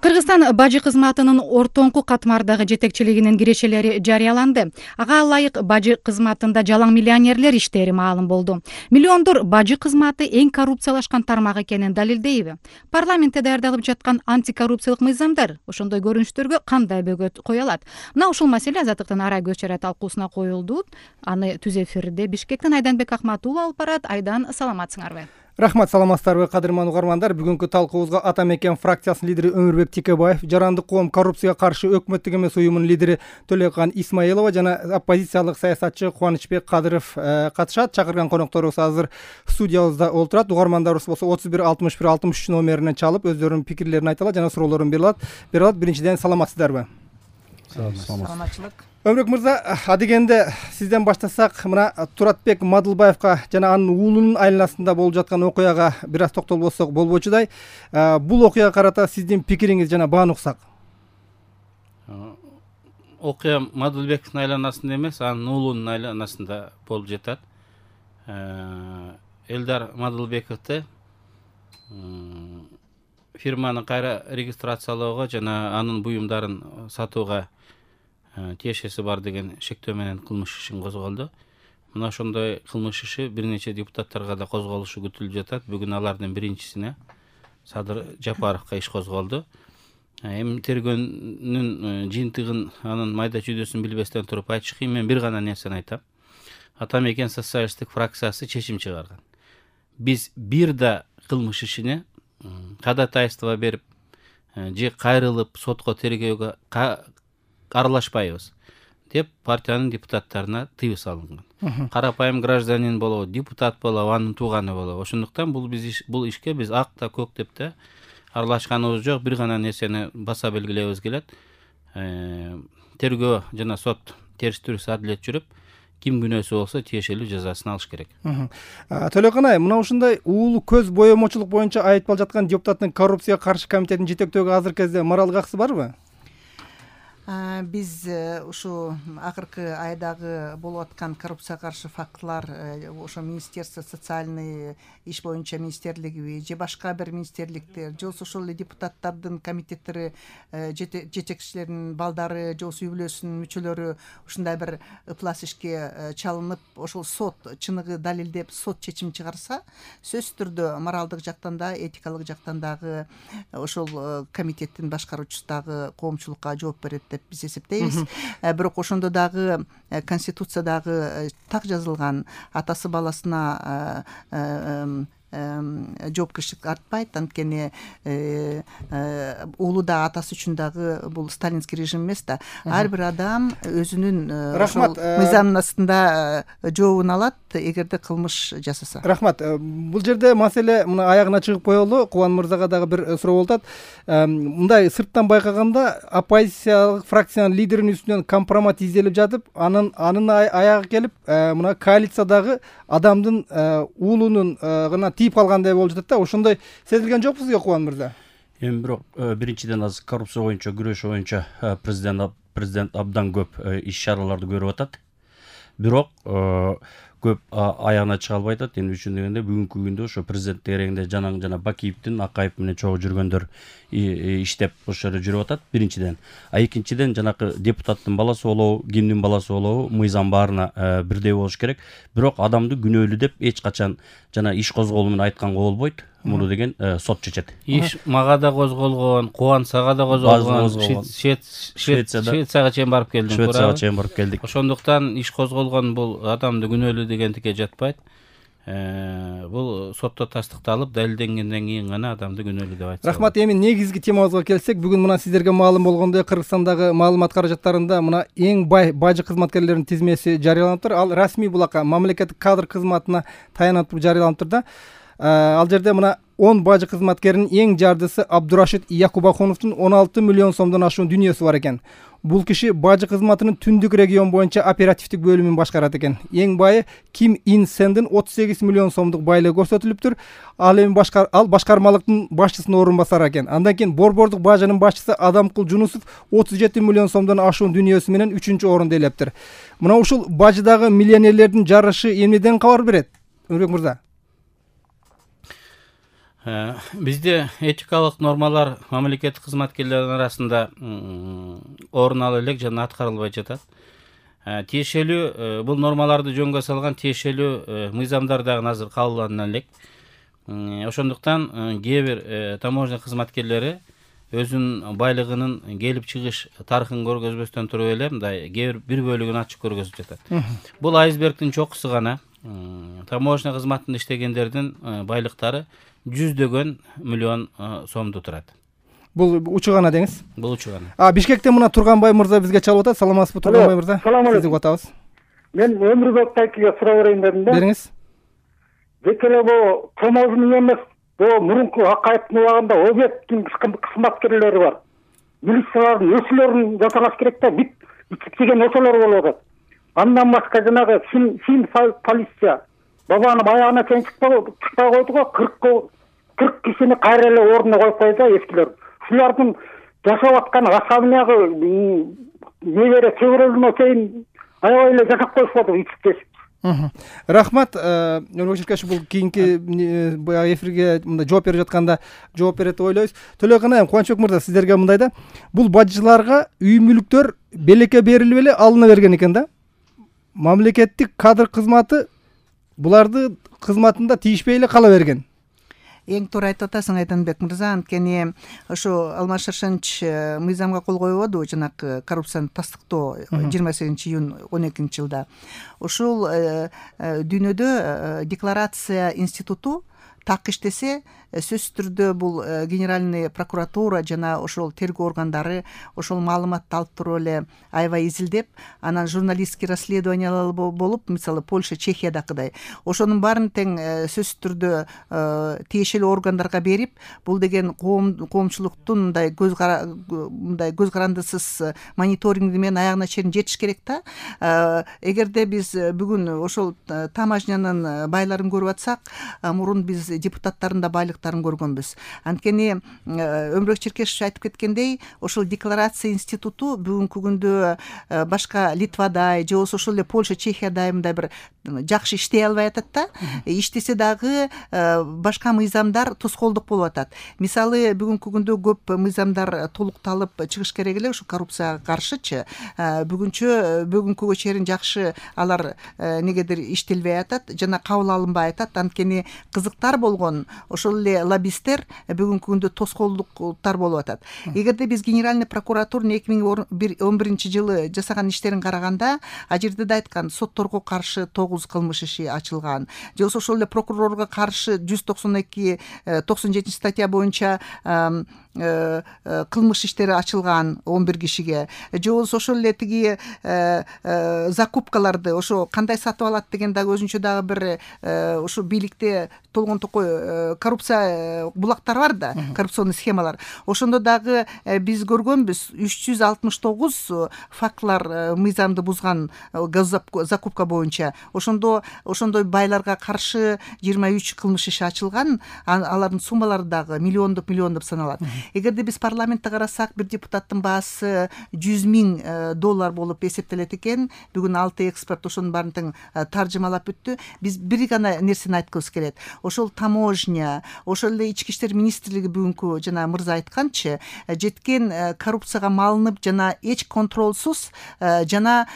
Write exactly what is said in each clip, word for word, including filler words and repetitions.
Кыргызстан бажы кызматынын ортоңку катмардагы жетекчилигинин кирешелери жарыяланды. Ага ылайык бажы кызматында жалаң миллионерлер иштери маалым болду. Миллиондор бажы кызматы эң коррупциялашкан тармак экенин далилдейби? Парламентте даярдалып жаткан антикоррупциялык мыйзамдар ошондой көрүнүштөргө кандай бөгөт кое алат? Мына ушул маселе Азаттыктын ара көз чара талкуусуна коюлду. Аны түз эфирде Бишкектен Айданбек Акматулов алып барат. Айдан, саламатсыңарбы? Рахмат, саламатсыздарбы кадырман угармандар. Бүгүнкү талкуубузга Ата мекен фракциясынын лидери Өмүрбек Текебаев, Жарандык коом коррупцияга каршы өкмөттүк эмес уюмунун лидери Төлөкан Исмаилова жана оппозициялык саясатчы Кубанычбек Кадыров катышат. Чакырган конокторубуз азыр студиябызда олтурат. Угармандарыбыз болсо отуз бир алтымыш бир алтымыш үч номерине чалып өздөрүнүн пикирлерин айта алат жана суроолорун бере алат. Бере алат. Биринчиден, саламатсыздарбы? Саламатчылык. Өмүрбек мырза, адегенде сизден баштасак, мына Туратбек Мадылбаевка жана анын уулунун айланасында болуп жаткан окуяга бир аз токтолбосок болбочудай. Бул окуяга карата сиздин пикириңиз жана бааны уксак. Окуя Мадылбектин айланасында эмес, анын уулунун айланасында болуп жатат. Элдар Мадылбековду фирманы кайра регистрациялоого жана анын буюмдарын сатууга тиешеси бар деген шектөө менен кылмыш ишин козголду. Мына ошондой кылмыш иши бир нече депутаттарга да козголушу күтүлүп жатат. Бүгүн алардын биринчисине, Садыр Жапаровго иш козголду. Эми тергөөнүн жыйынтыгын, анын майда чүйдөсүн билбестен туруп айтыш кыйын. Мен бир гана нерсени айтам. Ата мекен социалисттик фракциясы чечим чыгарган. Биз бир да кылмыш ишине кадатайство берип же кайрылып сотко тергөөгө аралашпайбыз деп партиянын депутаттарына тыюу салынган. Карапайым гражданин болобу, депутат болобу, анын тууганы болобу. Ошондуктан бул биз бул ишке биз ак да көк деп да аралашканыбыз жок. Бир гана нерсени баса белгилебиз келет. Тергөө жана сот териштирүүсү адилет жүрүп, ким күнөөсү болсо тиешелүү жазасын алыш керек. Төлөкан ай, мына ушундай уулу көз боемочулук боюнча айтылып жаткан депутаттын коррупцияга каршы комитетинин жетектөөгө азыркы кезде моралдык акысы барбы? Биз ушу акыркы айдагы болуп аткан коррупцияга каршы фактылар ошо министерство социальный иш боюнча министрлиги же башка бир министрликтер же ошол эле депутаттардын комитеттери жетекчилеринин балдары же үй бүлөсүнүн мүчөлөрү ушундай бир ыплас ишке чалынып, ошол сот чыныгы далилдеп сот чечим чыгарса, сөзсүз түрдө моралдык жактан да, этикалык жактан дагы ошол комитеттин башкаруучусу дагы коомчулукка жооп берет деп биз эсептейбиз. Бирок ошондо дагы конституциядагы так жазылган атасы баласына жоопкерчилик артпайт. Анткени уулу да атасы үчүн дагы бул сталинский режим эмес да. Ар бир адам өзүнүн ошол мыйзамдын астында жообун алат эгерде кылмыш жасаса. Рахмат. Бул жерде маселе мына аягына чыгып коелу. Кубан мырзага дагы бир суроо болуп атат. Мындай сырттан байкаганда оппозициялык фракциянын лидеринин үстүнөн компромат изделип жатып, анын анын аягы келип, мына коалициядагы адамдын уулунун гана тип калгандай болуп жатат да. Ошондой сезилген жокпу сизге, Кубан мырза? Эми бирок биринчиден азыр коррупция боюнча күрөш боюнча президент президент абдан көп иш чараларды көрүп атат. Бирок көп аягына чыга албай атат. Эмне үчүн дегенде, бүгүнкү күндө ошо президент тегерегинде Жанаң жана Бакиевдин Акаев менен чогуу жүргөндөр иштеп ошол жерде жүрүп атат, биринчиден. А экинчиден, жанакы депутаттын баласы болобу, кимдин баласы болобу, мыйзам баарына бирдей болуш керек. Бирок адамды күнөөлүү деп эч качан жана иш козголуу менен айтканга болбойт. Муну деген сот чечет. Иш мага да козголгон, Кубанычага да козголгон, Швецияга чейин барып келдим. Швецияга чейин барып келдик. Ошондуктан иш козголгон бул адамды күнөөлүү дегендикке жатпайт. Бул сотто тастыкталып, далилденгенден кийин гана адамды күнөөлүү деп айтса. Рахмат. Эми негизги темабызга келсек, бүгүн мына сиздерге маалым болгондой, Кыргызстандагы маалымат каражаттарында мына эң бай бажы кызматкерлеринин тизмеси жарыяланып тур. Ал расмий булакка мамлекеттик кадр кызматына таянып жарыяланып тур да. Ал жерде мына он бажы кызматкеринин эң жардысы Абдурашид Якубахуновдун он алты миллион сомдон ашуун дүнүйөсү бар экен. Бул киши бажы кызматынын түндүк регион боюнча оперативдик бөлүмүн башкарат экен. Эң байы Ким Ин Сендин отуз сегиз миллион сомдук байлыгы көрсөтүлүптүр. Ал эми башкар ал башкармалыктын башчысынын орун басары экен. Андан кийин Борбордук бажынын башчысы Адамкул Жунусов отуз жети миллион сомдон ашуун дүнүйөсү менен үчүнчү орунду ээлептир. Мына ушул бажыдагы миллионерлердин жарышы эмнеден кабар берет, Өмүрбек мырза? Бизде этикалык нормалар мамлекеттик кызматкерлердин арасында орун ала элек жана аткарылбай жатат. Тиешелүү бул нормаларды жөнгө салган тиешелүү мыйзамдар дагы азыр кабылдана элек. Ошондуктан кээ бир таможня кызматкерлери өзүнүн байлыгынын келип чыгыш тарыхын көргөзбөстөн туруп эле мындай кээ бир бир бөлүгүн ачык көргөзүп жатат. Бул айсбергдин чокусу гана. Таможня кызматында иштегендердин байлыктары жүздөгөн миллион сомду турат. Бул учу гана деңиз? Бул учу гана. А Бишкектен мына Турганбай мырза бизге чалып атат. Саламатсызбы Турганбай мырза? Сизди угуп атабыз. Мен Өмүрбек Тайкиге суроо берейин дедим да. Бериңиз. Бекеле бу таможня эмес, бу мурунку Акаевдин убагында объекттин кызматкерлери бар. Милициялардын өсүлөрүн жасалаш керек да, бит битпеген ошолор болуп атат. Андан башка жанагы сим полиция бабанын аягына чейин чыкпай койду го, кырк кишини кайра эле ордуна коюп койду да эскилер. Шулардын жашап аткан особнягы небере чөбөрөлүнө чейин аябай эле жашап коюшпады ичип. Рахмат. Өмүрбек Черкешев бул кийинки баягы эфирге мындай жооп берип жатканда жооп берет деп ойлойбуз. Төлөканай Кубанычбек мырза, сиздерге мындай да, бул бажчыларга үй мүлктөр белекке берилип эле алына берген экен да. Мамлекеттик кадр кызматы буларды кызматында тийишпей эле кала берген. Эң туура айтып атасың Айданбек мырза, анткени ошо Алмаз Шаршенович мыйзамга кол койбоду жанагы коррупцияны тастыктоо жыйырма сегизинчи июнь он экинчи жылда. Ошол дүйнөдө декларация институту так иштесе, сөзсүз түрдө бул генеральный прокуратура жана ошол тергөө органдары ошол маалыматты алып туруп эле аябай изилдеп, анан журналистский расследованиялар болуп, мисалы Польша, Чехиядакыдай ошонун баарын тең сөзсүз түрдө тиешелүү органдарга берип, бул деген коомчулуктун мындай көз мындай көз карандысыз мониторинги менен аягына чейин жетиш керек да. Эгерде биз бүгүн ошол таможнянын байларын көрүп атсак, мурун биз депутаттардын да байлыктарын көргөнбүз. Анткени Өмүрбек Черкешев айтып кеткендей, ошол декларация институту бүгүнкү күндө башка Литвадай же болбосо ошол эле Польша, Чехиядай мындай бир жакшы иштей албай атат да. Иштесе дагы башка мыйзамдар тоскоолдук болуп атат. Мисалы бүгүнкү күндө көп мыйзамдар толукталып чыгыш керек эле ошо коррупцияга каршычы. Бүгүнчө бүгүнкүгө чейин жакшы алар негедир иштелбей атат жана кабыл алынбай атат. Анткени кызыктар болгон ошол эле лоббисттер бүгүнкү күндө тоскоолдуктар болуп атат. Эгерде биз генеральный прокуратуранын эки миң он биринчи жылы жасаган иштерин караганда, а жерде да айткан сотторго каршы тогуз кылмыш иши ачылган. Же болбосо ошол эле прокурорго каршы жүз токсон эки токсон жетинчи статья боюнча кылмыш иштери ачылган он бир кишиге. Же болбосо ошол эле тиги закупкаларды ошо кандай сатып алат деген дагы өзүнчө дагы бир ошо бийликте толгон токой коррупция булактар бар да, коррупционный схемалар. Ошондо дагы биз көргөнбүз үч жүз алтымыш тогуз фактылар мыйзамды бузган закупка боюнча. Ошондо ошондой байларга каршы жыйырма үч кылмыш иши ачылган, алардын суммалары дагы миллиондоп миллиондоп саналат. Эгерде биз парламентте карасак, бир депутаттын баасы жүз миң доллар болуп эсептелет экен. Бүгүн алты эксперт ошонун баарын тең таржымалап бүттү. Биз бир гана нерсени айткыбыз келет. Ошол таможня, ошол эле ички иштер министрлиги бүгүнкү жана мырза айтканчы, жеткен коррупцияга малынып жана эч контролсуз жана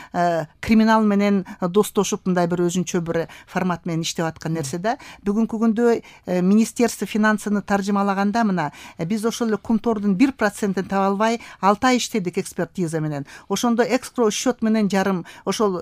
криминал менен достошуп мындай бир өзүнчө бир формат менен иштеп аткан нерсе да. Бүгүнкү күндө министерство финансыны таржымалаганда мына биз ошол эле кумтордун бир процентин таба албай алты ай иштедик экспертиза менен. Ошондо экскро счет менен жарым ошол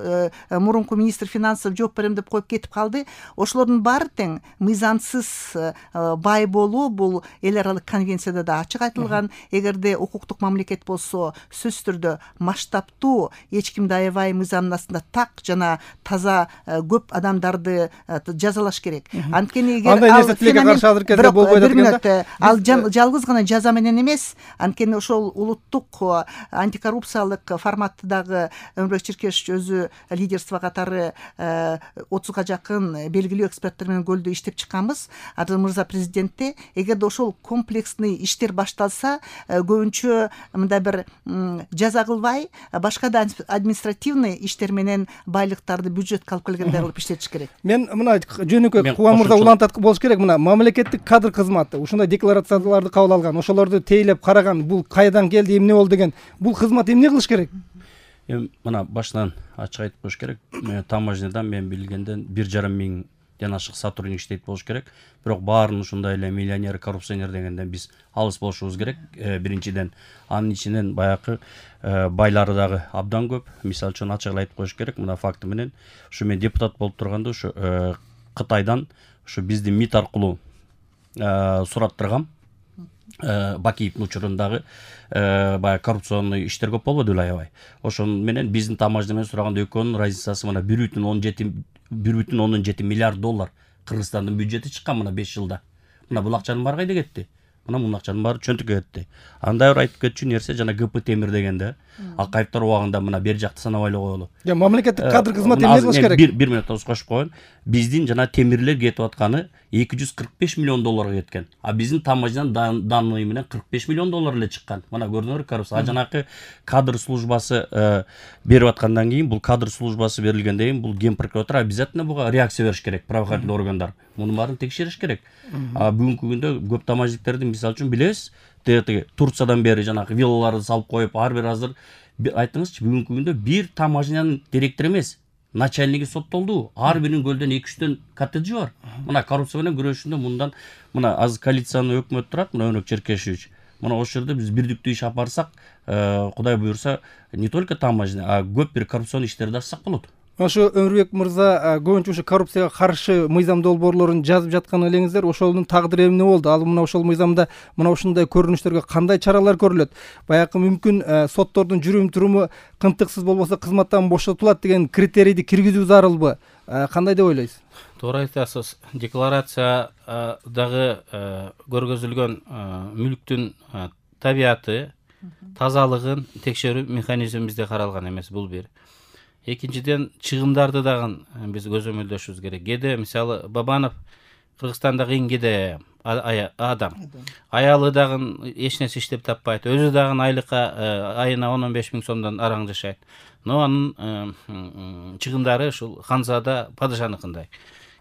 мурунку министр финансов жооп берем деп коюп кетип калды. Ошолордун баары тең мыйзамсыз бай болуу бул эл аралык конвенцияда да ачык айтылган. Эгерде укуктук мамлекет болсо, сөзсүз түрдө масштабтуу, эч кимди аябай мыйзамдын астында так жана таза көп адамдарды жазалаш керек. Анткени эгер андай нерсе тилекке каршы азыр кезде болбой атат экен да. Ал жалгыз гана жаза база менен эмес, анткени ошол улуттук антикоррупциялык форматты дагы Өмүрбек Чиркешевич өзү лидерство катары отузга жакын белгилүү эксперттер менен көлдө иштеп чыкканбыз. Адыл мырза президентте эгерде ошол комплексный иштер башталса, көбүнчө мындай бир жаза кылбай, башка да административный иштер менен байлыктарды бюджетке алып келгендей кылып иштетиш керек. Мен мына жөнөкөй Кубан мырза улантат болуш керек. Мына мамлекеттик кадр кызматы ушундай декларацияларды кабыл алган, ошолорду тейлеп караган, бул кайдан келди, эмне болду деген, бул кызмат эмне кылыш керек? Эми мына башынан ачык айтып коюш керек. Таможнядан мен билгенден бир жарым миңден ашык сотрудник иштейт болуш керек. Бирок баарын ушундай эле миллионер, коррупционер дегенден биз алыс болушубуз керек. Биринчиден, анын ичинен баягы байлары дагы абдан көп. Мисалы үчүн ачык айтып коюш керек. Мына факты менен ушу мен депутат болуп турганда ушу Кытайдан ушу биздин МИД аркылуу сураттыргам. Бакиевдин учурундагы баягы коррупционный иштер көп болбоду беле аябай. Ошону менен биздин таможня менен сураганда экөөнүн разницасы мына бир бүтүн ондон жети миллиард доллар Кыргызстандын бюджети чыккан мына беш жылда. Мына бул акчанын баары кайда кетти? Мына мун акчанын баары чөнтүккө кетти. Андай бир айтып кетчү нерсе жана ГП темир дегенде Акаевдер убагында мына бери жакты санабай эле коелу. Я мамлекеттик кадр кызматы эмне кылыш керек? Бир бир мүнөт тоскошуп коеюн. Биздин жана темирлер кетип атканы эки жүз кырк беш миллион долларга кеткен. А биздин таможнядан данный менен кырк беш миллион доллар эле чыккан. Мына көрдүңөр коррупция. А жанакы кадр службасы берип аткандан кийин, бул кадр службасы берилгенден кийин бул Ген прокуратура обязательно буга реакция бериш керек, правоохранительный органдар. Мунун баарын текшериш керек. А бүгүнкү күндө көп таможниктерди мисалы үчүн билебиз, Турциядан бери жанагы виллаларды салып коюп, ар бир азыр айтыңызчы, бүгүнкү күндө бир таможнянын директору эмес, начальниги соттолду. Ар биринин көлдөн эки үчтөн коттеджи бар. Мына коррупция менен күрөшүндө мындан мына азыр коалициянын өкмөтү турат, мына Өмүрбек Чиркешевич. Мына ошол жерде биз бирдиктүү иш алып барсак, Кудай буюрса, не только таможня, а көп бир коррупцион иштерди ачсак болот. Ошо Өмүрбек мырза көбүнчө ушу коррупцияга каршы мыйзам долбоорлорун жазып жаткан элеңиздер, ошонун тагдыры эмне болду? Ал мына ошол мыйзамда мына ушундай көрүнүштөргө кандай чаралар көрүлөт? Баягы мүмкүн соттордун жүрүм туруму кымтыксыз болбосо кызматтан бошотулат деген критерийди киргизүү зарылбы? Кандай деп ойлойсуз? Туура айтасыз. Декларациядагы көргөзүлгөн мүлктүн табияты, тазалыгын текшерүү механизми бизде каралган эмес, бул бир. Экинчиден, чыгымдарды дагы биз көзөмөлдөшүбүз керек. Кээде мисалы Бабанов Кыргызстандагы эң кээде адам. Аялы дагы эч нерсе иштеп таппайт. Өзү дагы айлыкка айына он он беш миң сомдон араң жашайт. Но анын чыгымдары ушул Ханзада падышаныкындай.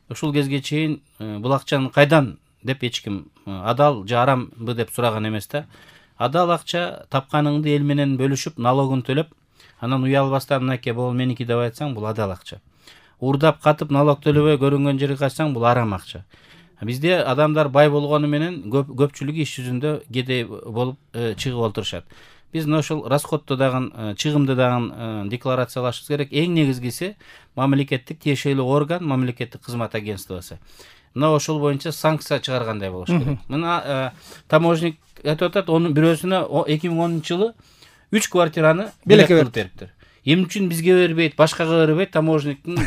Ушул кезге чейин бул акчаны кайдан деп эч ким адал же арамбы деп сураган эмес да. Адал акча тапканыңды эл менен бөлүшүп, налогун төлөп, анан уялбастан мынакей бул меники деп айтсаң, бул адал акча. Урдап катып налог төлөбөй көрүнгөн жерге качсаң, бул арам акча. Бизде адамдар бай болгону менен көпчүлүгү иш жүзүндө кедей болуп чыгып олтурушат. Биз ошол расходду дагы, чыгымды дагы декларациялашыбыз керек. Эң негизгиси мамлекеттик тиешелүү орган, мамлекеттик кызмат агентствосу. Мына ошол боюнча санкция чыгаргандай болуш керек. Мына таможник айтып атат, онун бирөөсүнө эки миң онунчу жылы үч квартираны белек кылып бериптир. Эмне үчүн бизге бербейт, башкага бербейт, таможниктин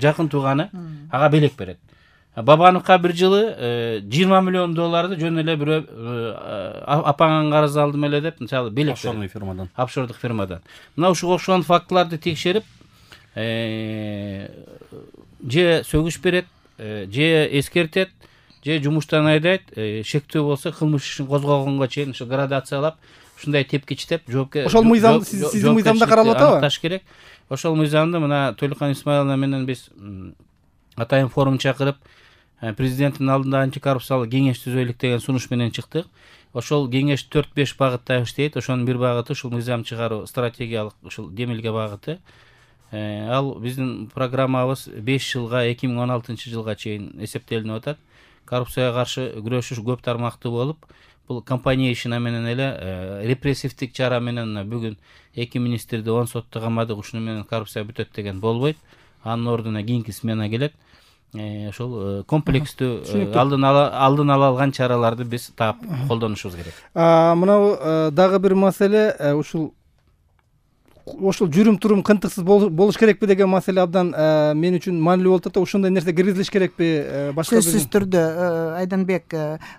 жакын тууганы ага белек берет. Бабановго бир жылы жыйырма миллион долларды жөн эле бирөө апаңан карыз алдым эле деп, мисалы белек берет. Офшорный фирмадан. Офшордук фирмадан. Мына ушул окшогон фактыларды текшерип, же сөгүш берет, же эскертет, же жумуштан айдайт, шектөө болсо кылмыш ишин козгогонго чейин ушу градациялап, ушундай тепкичтеп жоопкер ошол мыйзам сиздин мыйзамда каралып атабы? Аныкташ керек. Ошол мыйзамды мына Төлөкөн Исмаиловна менен биз атайын форум чакырып, президенттин алдында антикоррупциялык кеңеш түзөлүк деген сунуш менен чыктык. Ошол кеңеш төрт беш багытта иштейт. Ошонун бир багыты ушул мыйзам чыгаруу, стратегиялык ушул демилге багыты. Ал биздин программабыз беш жылга, эки миң он алтынчы жылга чейин эсептелинип атат. Коррупцияга каршы күрөшүш көп тармактуу болуп, бул компания ишина менен эле репрессивдик чара менен бүгүн эки министрди он сотто камадык, ушуну менен коррупция бүтөт деген болбойт. Анын ордуна кийинки смена келет. Ошол комплекстүү алдын ала алдын ала алган чараларды биз таап колдонушубуз керек. Мына дагы бир маселе, ушул ошол жүрүм турум кынтыксыз болуш керекпи деген маселе абдан мен үчүн маанилүү болуп атат да. Ошондой нерсе киргизилиш керекпи башка? Сөзсүз түрдө Айданбек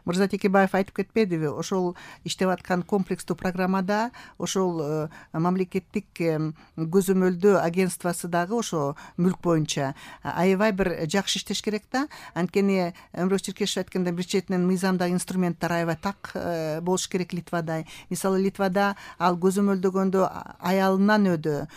мырза Текебаев айтып кетпедиби, ошол иштеп аткан комплекстүү программада ошол мамлекеттик көзөмөлдөө агентствосы дагы ошо мүлк боюнча аябай бир жакшы иштеш керек да. Анткени Өмүрбек Черкешев айткандай бир четинен мыйзамдагы инструменттер аябай так болуш керек Литвада. Мисалы Литвада ал көзөмөлдөгөндө аялынан өдө,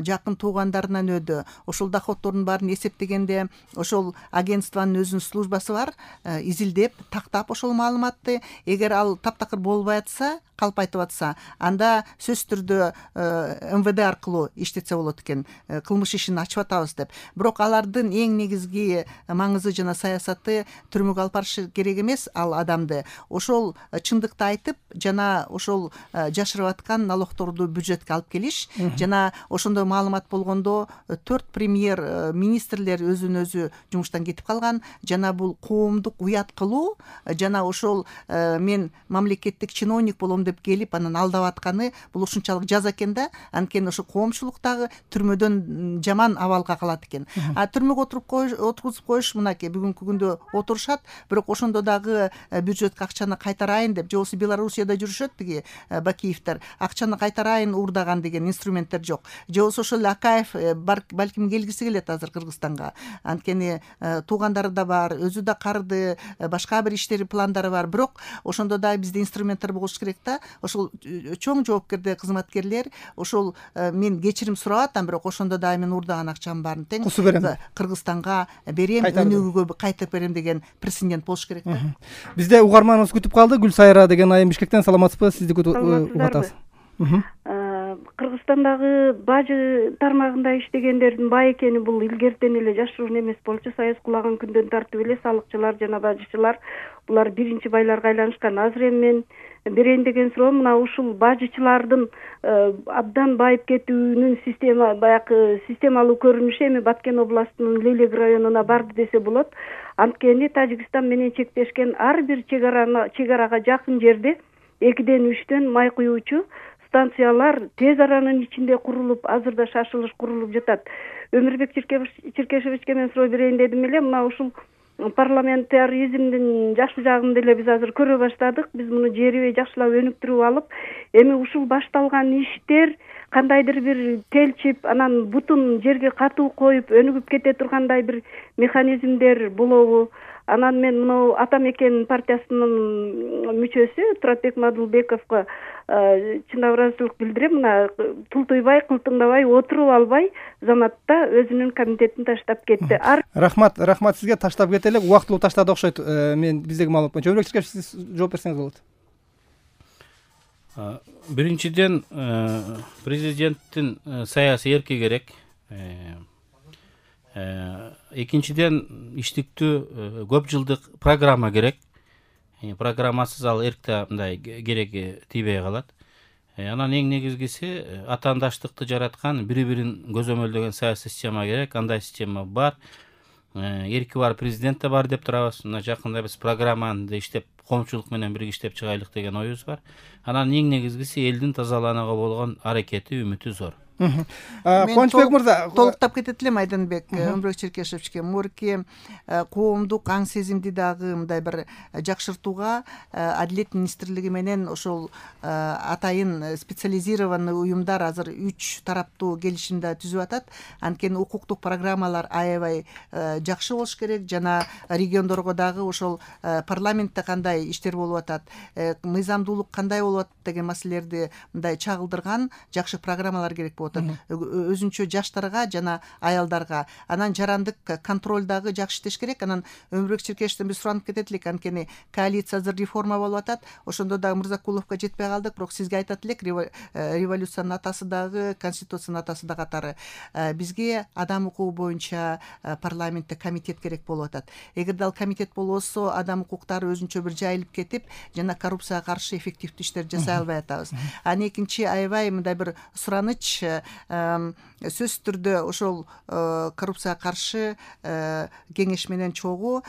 жакын туугандарынан өдө, ошол доходтордун баарын эсептегенде ошол агентствонун өзүнүн службасы бар, изилдеп, тактап ошол маалыматты. Эгер ал таптакыр болбой атса, калпайтып атса, анда сөзсүз түрдө эм вэ дэ аркылуу иштетсе болот экен, кылмыш ишин ачып атабыз деп. Бирок алардын эң негизги маңызы жана саясаты түрмөгө алып барышы керек эмес ал адамды. Ошол чындыкты айтып, жана ошол жашырып аткан налогторду бюджетке алып келиш, жана ошондой маалымат болгондо төрт премьер министрлер өзүнөн өзү жумуштан кетип калган, жана бул коомдук уят кылуу, жана ошол мен мамлекеттик чиновник болом деп келип анан алдап атканы бул ушунчалык жаза экен да. Анткени ошо коомчулук дагы түрмөдөн жаман абалга калат экен. А түрмөгө отуруп коюш, отургузуп коюш мынакей бүгүнкү күндө отурушат, бирок ошондо дагы бюджетке акчаны кайтарайын деп, же болбосо Белоруссияда жүрүшөт тиги Бакиевдер, акчаны кайтарайын уурдаган деген инструменттер жок. Же болбосо ошол Акаев балким келгиси келет азыр Кыргызстанга. Анткени туугандары да бар, өзү да карды, башка бир иштери пландары бар, бирок ошондо да бизде инструменттер болуш керек да. Ошол чоң жоопкерде кызматкерлер ошол мен кечирим сурап атам, бирок ошондо да мен уурдаган акчамдын баарын тең Кыргызстанга берем, өнүгүүгө кайтып берем деген прецедент болуш керек да. Бизде угарманыбыз күтүп калды. Гүлсайра деген айым Бишкектен. Саламатсызбы? Сизди күтүп атабыз. Кыргызстандагы бажы тармагында иштегендердин бай экени бул илгертен эле жашыруун эмес болчу. Саяз кулаган күндөн тартып эле салыкчылар жана бажычылар булар биринчи байларга айланышкан. Азыр эми мен берейин деген суроом мына ушул бажычылардын абдан байып кетүүнүн система баягы системалуу көрүнүшү эми Баткен областынын Лелек районуна барды десе болот. Анткени Тажикстан менен чектешкен ар бир чек арага жакын жерде экиден үчтөн май куюучу станциялар тез аранын ичинде курулуп, азырда шашылыш курулуп жатат. Өмүрбек Черкешевичке мен суроо берейин дедим эле, мына ушул парламентаризмдин жакшы жагын деле биз азыр көрө баштадык. Биз муну жерибей жакшылап өнүктүрүп алып, эми ушул башталган иштер кандайдыр бир телчип, анан бутун жерге катуу коюп өнүгүп кете тургандай бир механизмдер болобу? Анан мен мына Атамекен партиясынын мүчөсү Туратбек Мадылбековго чындап ыраазычылык билдирем. Мына тултуйбай, кылтыңдабай, отуруп албай заматта өзүнүн комитетин таштап кетти. Рахмат, рахмат сизге. Таштап кете элек, убактылуу таштады окшойт. Мен биздеги маалымат боюнча. Өмүрбек Черкешев, сиз жооп берсеңиз болот. Биринчиден, президенттин саясий эрки керек. Экинчиден, иштиктүү көп жылдык программа керек. Программасыз ал эркте мындай кереги тийбей калат. Анан эң негизгиси атаандаштыкты жараткан, бири-бирин көзөмөлдөгөн саясий система керек. Андай система бар. Эрки бар президент да бар деп турабыз. Мына жакында биз программаны да иштеп, коомчулук менен бирге иштеп чыгайлык деген оюбуз бар. Анан эң негизгиси элдин тазаланууга болгон аракети, үмүтү зор. Кубанычбек мырза, толуктап кетет элем Айданбек Өмүрбек Черкешевичке. Мурки коомдук аң сезимди дагы мындай бир жакшыртууга Адилет министрлиги менен ошол атайын специализированный уюмдар азыр үч тараптуу келишимди түзүп атат. Анткени укуктук программалар аябай жакшы болуш керек, жана региондорго дагы ошол парламентте кандай иштер болуп атат, мыйзамдуулук кандай болуп атат деген маселелерди мындай чагылдырган жакшы программалар керек болуп атат. Өзүнчө жаштарга жана аялдарга. Анан жарандык контроль дагы жакшы иштеш керек. Анан Өмүрбек Черкешевден биз суранып кетет элек, анткени коалиция азыр реформа болуп атат. Ошондо дагы Мырзакуловго жетпей калдык, бирок сизге айтат элек, революциянын атасы дагы, конституциянын атасы да катары. Бизге адам укугу боюнча парламентте комитет керек болуп атат. Эгерде ал комитет болбосо, адам укуктары өзүнчө бир жайылып кетип, жана коррупцияга каршы эффективдүү иштер жасай албай атабыз. Анан экинчи аябай мындай бир сураныч сөзсүз түрдө ошол коррупцияга каршы кеңеш менен чогуу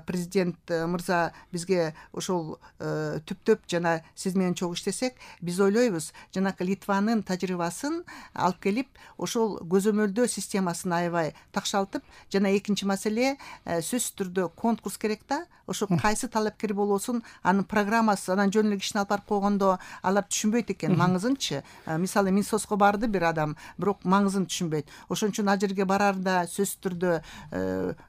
президент мырза бизге ошол түптөп жана сиз менен чогуу иштесек, биз ойлойбуз жанакы Литванын тажрыйбасын алып келип ошол көзөмөлдөө системасын аябай такшалтып, жана экинчи маселе сөзсүз түрдө конкурс керек да, ошо кайсы талапкер болосун, анын программасы, анан жөн эле кишини алып барып койгондо алар түшүнбөйт экен маңызынчы. Мисалы Минсоцко барды бир адам, бирок маңызын түшүнбөйт. Ошон үчүн ал жерге барарда сөзсүз түрдө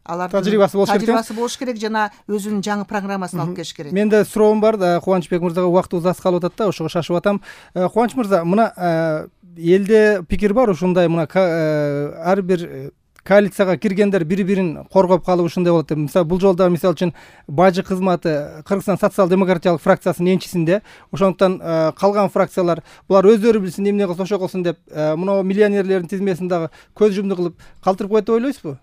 алардын тажрыйбасы болуш керек. Тажрыйбасы болуш керек жана өзүнүн жаңы программасын алып келиш керек. Менде суроом бар, Кубанычбек мырзага убактыбыз аз калып атат да, ошого шашып атам. Кубаныч мырза, мына элде пикир бар ушундай, мына ар бир коалицияга киргендер бири-бирин коргоп калып ушундай болот деп. Мисалы бул жолдо мисалы үчүн бажы кызматы Кыргызстан социал-демократиялык фракциясынын энчисинде, ошондуктан калган фракциялар булар өздөрү билсин, эмне кылса ошо кылсын деп, мына миллионерлердин тизмесин дагы көз жумду кылып калтырып коет деп ойлойсузбу?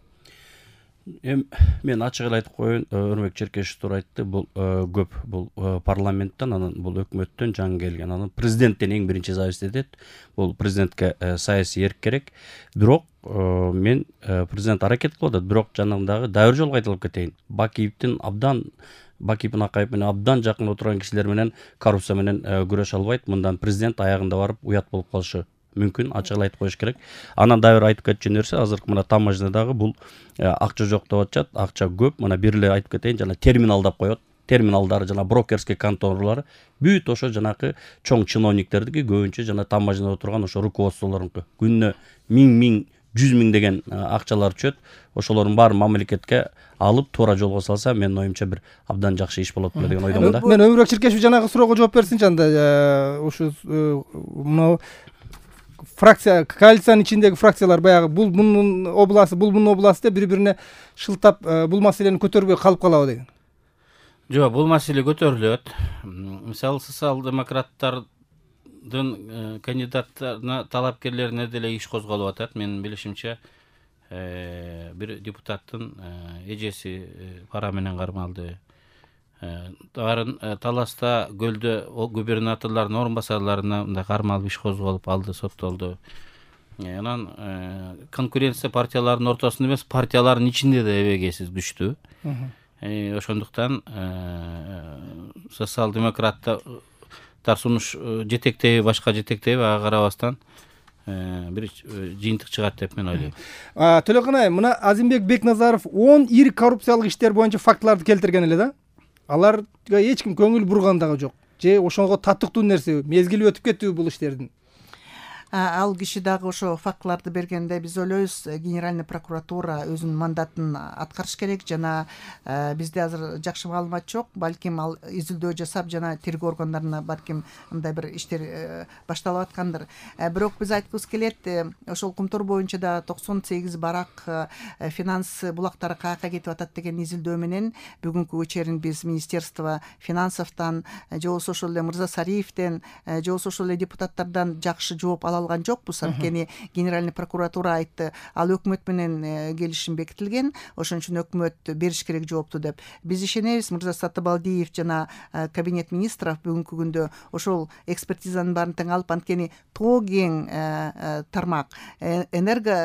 Эми мен ачык эле айтып коеюн, Өрмөк Черкешев туура айтты, бул көп, бул парламенттен, анан бул өкмөттөн жаңы келген, анан президенттен эң биринчи зависит этет. Бул президентке саясий эрк керек. Бирок мен президент аракет кылып атат, бирок жанагындагы дайыр жолго кайталап кетейин. Бакиевдин абдан Бакиев Акаев менен абдан жакын отурган кишилер менен коррупция менен күрөшө албайт. Мындан президент аягында барып уят болуп калышы мүмкүн, ачык эле айтып коюш керек. Анан дагы бир айтып кетчү нерсе, азыркы мына таможнядагы бул акча жок деп атышат, акча көп. Мына бир эле айтып кетейин, жана терминалдап коет. Терминалдары жана брокерский конторалары бүт ошо жанакы чоң чиновниктердики, көбүнчө жана таможняда отурган ошо руководстволорунку. Күнүнө миң миң жүз миң деген акчалар түшөт. Ошолордун баарын мамлекетке алып туура жолго салса, менин оюмча бир абдан жакшы иш болот деген ойдомун да. Мен Өмүрбек Черкешев жанагы суроого жооп берсинчи анда. Ушу мына фракция, коалициянын ичиндеги фракциялар баягы бул мунун обласы, бул мунун обласы деп бири-бирине шылтап бул маселени көтөрбөй калып калабы деген. Жок, бул маселе көтөрүлөт. Мисалы социал-демократтардын кандидаттарына, талапкерлерине деле иш козголуп атат. Менин билишимче, бир депутаттын эжеси пара менен кармалды. Дарын Таласта көлдө губернаторлордун орун басарларына мындай кармалып иш козголуп алды, соттолду. Анан конкуренция партиялардын ортосунда эмес, партиялардын ичинде да эбегейсиз күчтүү. Ошондуктан социал-демократтар сунуш жетектеби, башка жетектеби, ага карабастан бир жыйынтык чыгат деп мен ойлойм. Төлөканай, мына Азимбек Бекназаров он ири коррупциялык иштер боюнча фактыларды келтирген эле да. Аларга эч ким көңүл бурган дагы жок. Же ошого таттыктуу нерсе, мезгили өтүп кеттиби бул иштердин? Ал киши дагы ошо фактыларды бергенде биз ойлойбуз, генеральный прокуратура өзүнүн мандатын аткарыш керек, жана бизде азыр жакшы маалымат жок. Балким ал изилдөө жасап, жана тергөө органдарына балким мындай бир иштер башталып аткандыр. Бирок биз айткыбыз келет, ошол Кумтор боюнча да токсон сегиз барак финанс булактары каяка кетип атат деген изилдөө менен бүгүнкү вечерин биз Министерство финансовтан, же болбосо ошол эле Мырза Сариевден, же болбосо ошол эле депутаттардан жакшы жооп ала алган жокпуз. Анткени генеральный прокуратура айтты, ал өкмөт менен келишим бекитилген, ошон үчүн өкмөт бериш керек жоопту деп. Биз ишенебиз, Мырза Сатыбалдиев жана кабинет министров бүгүнкү күндө ошол экспертизанын баарын тең алып, анткени тоо кең тармак, энерго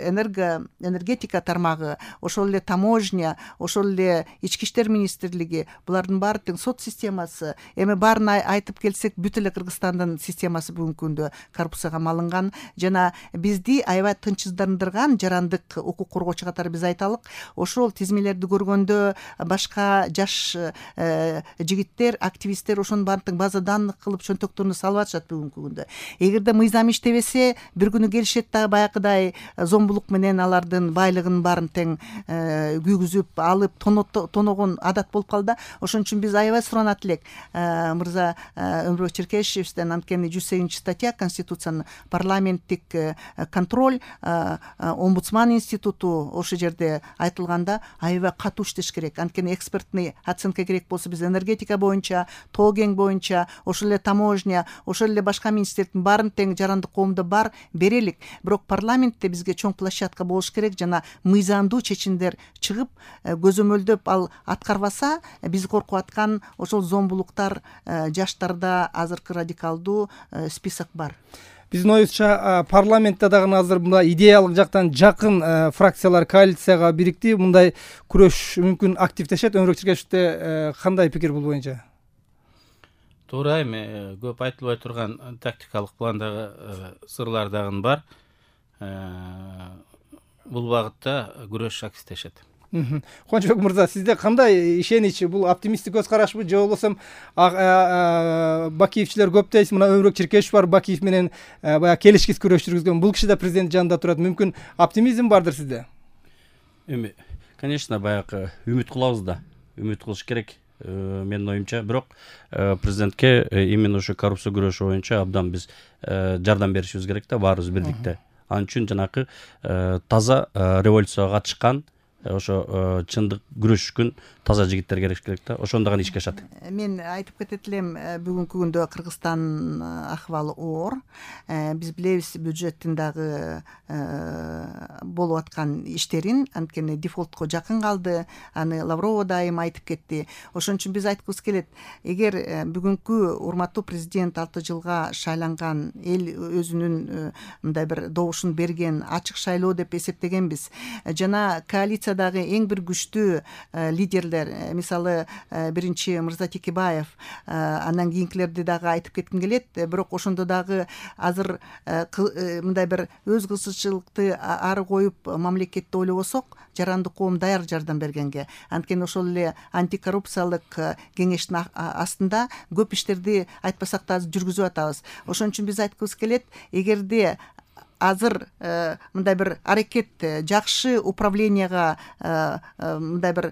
энерго энергетика тармагы, ошол эле таможня, ошол эле ички иштер министрлиги, булардын баары тең сот системасы, эми баарын айтып келсек, бүт эле Кыргызстандын системасы бүгүнкү күндө коррупцияга малынган, жана бизди аябай тынчсыздандырган жарандык укук коргоочу катары биз айталык, ошол тизмелерди көргөндө башка жаш жигиттер, активисттер ошонун баарын тең база данных кылып чөнтөктөрүнө салып атышат бүгүнкү күндө. Эгерде мыйзам иштебесе, бир күнү келишет дагы баягыдай зомбулук менен алардын байлыгынын баарын тең күйгүзүп алып тоногон адат болуп калды. Ошон үчүн биз аябай суранат элек Мырза Өмүрбек Черкешевден, анткени жүз сегизинчи статья Конституциянын парламенттик контроль, омбудсман институту ошол жерде айтылганда аябай катуу иштеш керек. Анткени экспертный оценка керек болсо, биз энергетика боюнча, тоо кең боюнча, ошол эле таможня, ошол эле башка министрликтин баарын тең жарандык коомдо бар берелик. Бирок парламентте бизге чоң площадка болуш керек, жана мыйзамдуу чечимдер чыгып, көзөмөлдөп ал аткарбаса, биз коркуп аткан ошол зомбулуктар жаштарда азыркы радикалдуу список бар. биздин оюбузча парламентте дагы азыр мындай идеялык жактан жакын фракциялар коалицияга бирикти, мындай күрөш мүмкүн активдешет. Өмүрбек Черкешевде кандай пикир бул боюнча? Туура, эми көп айтылбай турган тактикалык пландагы сырлар дагы бар. Бул багытта күрөш активдешет. Кубанычбек мырза, сизде кандай ишенич? Бул оптимисттик көз карашпы же болбосо Бакиевчилер көп дейсиз, мына Өмүрбек Черкешев бар, Бакиев менен баягы келишкис күрөш жүргүзгөн. Бул киши да президент жанында турат. Мүмкүн оптимизм бардыр сизде? Эми, конечно, баягы үмүт кылабыз да. Үмүт кылыш керек. Менин оюмча, бирок президентке именно ошо коррупция күрөшү боюнча абдан биз жардам беришибиз керек да, баарыбыз бирдикте. Ал үчүн жанакы таза революцияга катышкан, ошо чындык күрөшкөн таза жигиттер керек керек да. Ошондо гана ишке ашат. Мен айтып кетет элем, бүгүнкү күндө Кыргызстан акыбалы оор. Биз билебиз бюджеттин дагы болуп аткан иштерин, анткени дефолтко жакын калды. Аны Лаврова дайым айтып кетти. Ошон үчүн биз айткыбыз келет, эгер бүгүнкү урматтуу президент алты жылга шайланган, эл өзүнүн мындай бир добушун берген ачык шайлоо деп эсептегенбиз. Жана коалициядагы эң бир күчтүү лидерлер, мисалы биринчи Мырза Текебаев, андан кийинкилерди дагы айтып кетким келет, бирок ошондо дагы азыр мындай бир өз кызыкчылыкты ары коюп мамлекетти ойлобосок, жарандык коом даяр жардам бергенге. Анткени ошол эле антикоррупциялык кеңештин астында көп иштерди айтпасак да жүргүзүп атабыз. Ошон үчүн биз айткыбыз келет, эгерде азыр мындай бир аракет жакшы управленияга мындай бир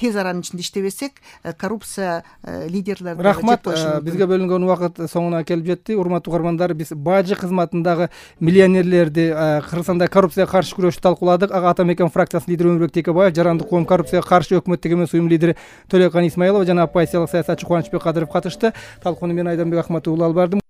тез аранын ичинде иштебесек, коррупция лидерлерди рахмат. Бизге бөлүнгөн убакыт соңуна келип жетти. Урматтуу угармандар, биз бажы кызматындагы миллионерлерди, Кыргызстанда коррупцияга каршы күрөштү талкууладык. Ага Атамекен фракциясынын лидери Өмүрбек Текебаев, жарандык коом коррупцияга каршы өкмөттүк эмес уюм лидери Төлөкан Исмаилова жана оппозициялык саясатчы Кубанычбек Кадыров катышты. Талкууну мен Айданбек Ахматов улуу алып бардым.